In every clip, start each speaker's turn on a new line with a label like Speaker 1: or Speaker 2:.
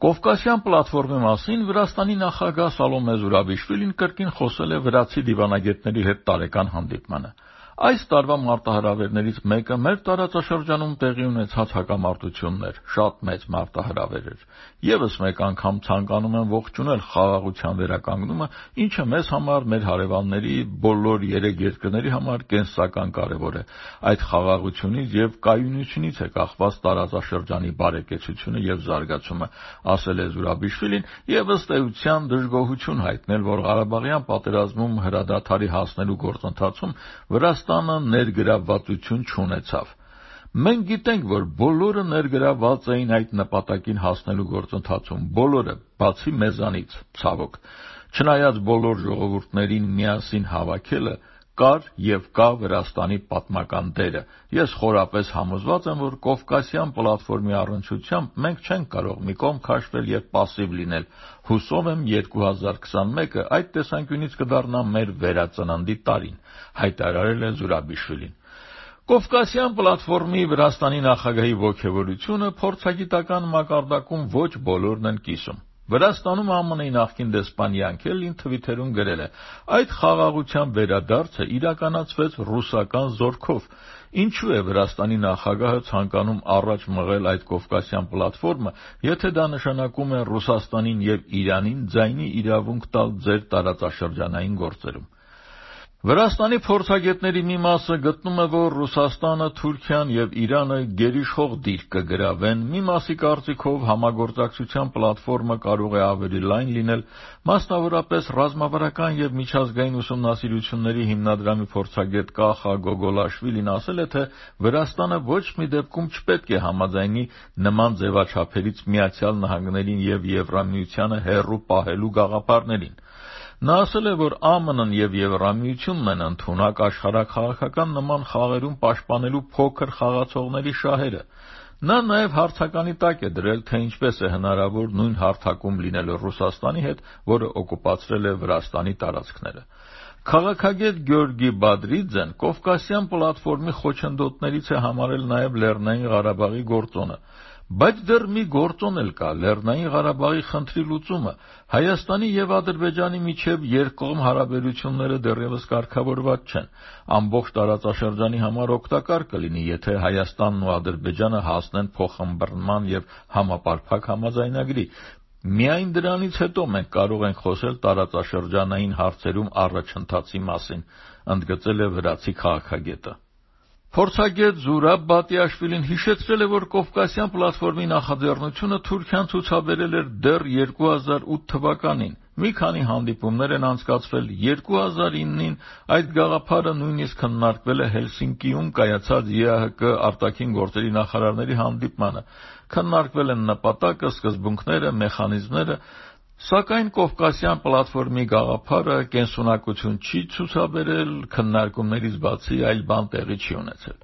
Speaker 1: Կովկասյան պլատֆորմի մասին Վրաստանի նախագահ Սալոմե Զուրաբիշվիլին կրկին խոսել է վրացի դիվանագետների հետ տարեկան հանդիպմանը։ Այս տարվա մարտահրավերներից մեկը մեր տարածաշրջանում տեղի ունեցած հակամարտությունն էր, շատ մեծ մարտահրավեր էր։ Եվս մեկ անգամ ցանկանում եմ ողջունել խաղաղության վերականգնումը, ինչը մեզ համար, մեր հարևանների, բոլոր 3 երկրների համար կենսական կարևոր է։ Այդ խաղաղությունից եւ կայունությունից է կախված տարածաշրջանի բարեկեցությունը եւ զարգացումը, ասել է Զուրաբիշվիլին եւ ըստ էության դժգոհություն հայտնել, որ Ղարաբաղյան պատերազմում հրադադարի հասնելու գործընթացում Վրաստանը ներգրավվածություն չունեցավ։ Մենք գիտենք, որ բոլորը ներգրավված էին այդ նպատակին հասնելու գործընթացում, բոլորը, բացի մեզանից, ցավոք։ Չնայած բոլոր ժողովուրդներին միասին հավաքելը կար եւ կա Վրաստանի պատմական դերը։ Ես խորապես համոզված եմ, որ Կովկասյան պլատֆորմի առնչությամբ մենք չենք կարող մի կողմ քաշվել եւ պասիվ լինել։ Հուսով եմ 2021-ը այդ տեսանկյունից կդառնա մեր վերածննդի տարին, հայտարարել է Զուրաբիշվիլին։ Կովկասյան պլատֆորմի Վրաստանի նախագահի ոգևորությունը փորձագիտական մակարդակում ոչ բոլորն են կիսում։ Վրաստանում ԱՄՆ-ի նախկին դեսպան Յանքելին թվիթերում գրել է. «Այդ խաղաղության վերադարձը իրականացվեց ռուսական զորքով»։ Ինչու է Վրաստանի նախագահը ցանկանում առաջ մղել այդ Կովկասյան պլատֆորմը, եթե դա նշանակում է Ռուսաստանին եւ Իրանին ձայնի իրավունք տալ ձեր տարածաշրջանային գործերում։ Վրաստանի փորձագետների մի մասը գտնում է, որ Ռուսաստանը, Թուրքիան եւ Իրանը գերիշխող դիրք կգրավեն, մի մասի կարծիքով համագործակցության պլատֆորմը կարող է ավելի լայն լինել, մասնավորապես ռազմավարական եւ միջազգային ուսումնասիրությունների հիմնադրամի փորձագետ Կախա Գոգոլաշվիլին ասել է, թե Վրաստանը ոչ մի դեպքում չպետք է համաձայնի նման ձևաչափերից Միացյալ Նահանգներին եւ Եվրամիությանը հեռու պահելու գաղափարներին։ Նա ասել է, որ ԱՄՆ-ն եւ Եվրամիությունն են ընդունակ աշխարհաքաղաքական նման խաղերում պաշտպանելու փոքր խաղացողների շահերը։ Նա նաեւ հարցականի տակ է դրել, թե ինչպես է հնարավոր նույն հարթակում լինել Ռուսաստանի հետ, որը օկուպացրել է Վրաստանի տարածքները։ Քաղաքագետ Գյորգի Բադրիձեն Կովկասյան պլատֆորմի խոչընդոտներից է համարել նաեւ Լեռնային Ղարաբաղի գործոնը։ Բայց դեռ մի գործոն էլ կա՝ Լեռնային Ղարաբաղի խնդրի լուծումը։ Հայաստանի եւ Ադրբեջանի միջև երկկողմ հարաբերությունները դեռևս կարգավորված չեն։ Ամբողջ տարածաշրջանի համար օգտակար կլինի, եթե Հայաստանն ու Ադրբեջանը հասնեն փոխըմբռնման եւ համապարփակ համաձայնագրի։ Միայն դրանից հետո մենք կարող ենք խոսել տարածաշրջանային հարցերում առաջընթացի մասին, ընդգծել է վրացի քաղաքագետը։ Փորձագետ Զուրաբ Բատիաշվիլին հիշեցրել է, որ Կովկասյան պլատֆորմի նախաձեռնությունը Թուրքիան ցուցաբերել էր դեռ 2008 թվականին։ Մի քանի հանդիպումներ են անցկացվել 2009-ին, այդ գաղափարը նույնիսկ քննարկվել է Հելսինկիում կայացած ԵԱՀԿ արտաքին գործերի նախարարների հանդիպմանը։ Քննարկվել են նպատակը, սկզբունքները, մեխանիզմները, սակայն Կովկասյան պլատֆորմի գաղափարը կենսունակություն չի ցուցաբերել, քննարկումներից բացի այլ բան տեղի չի ունեցել։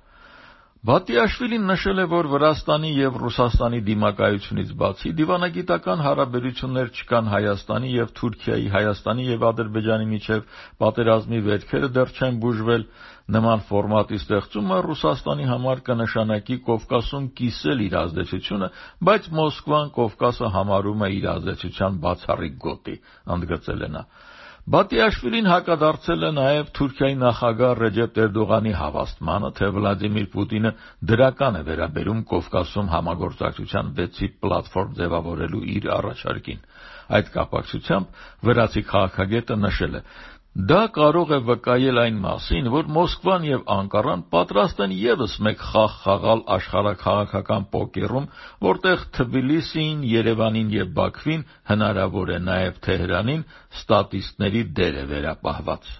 Speaker 1: Բատիաշվիլին նշել է, որ Վրաստանի եւ Ռուսաստանի դիմակայությունից բացի դիվանագիտական հարաբերություններ չկան Հայաստանի եւ Թուրքիայի, Հայաստանի եւ Ադրբեջանի միջև, պատերազմի վերքերը դեռ չեն բուժվել։ Նման ֆորմատի ստեղծումը Ռուսաստանի համար կնշանակի Կովկասում կիսել իր ազդեցությունը, բայց Մոսկվան Կովկասը համարում է իր ազդեցության բացառիկ գոտի, ընդգծել է նա։ Բատիաշվիլին հակադարձել է նաև Թուրքիայի նախագահ Ռեջեփ Էրդողանի հավաստմանը, թե Վլադիմիր Պուտինը դրական է վերաբերում Կովկասում համագործակցության 6-ի պլատֆորմ ձևավորելու իր առաջարկին։ Այդ կապակցությամբ վրացի քաղաքագետը նշել է. «Դա կարող է վկայել այն մասին, որ Մոսկվան եւ Անկարան պատրաստ են եւս մեկ խաղ խաղալ աշխարհաքաղաքական պոկերում, որտեղ Թբիլիսիին, Երևանին եւ Բաքվին, հնարավոր է նաեւ Թեհրանին, ստատիստների դեր է վերապահված»։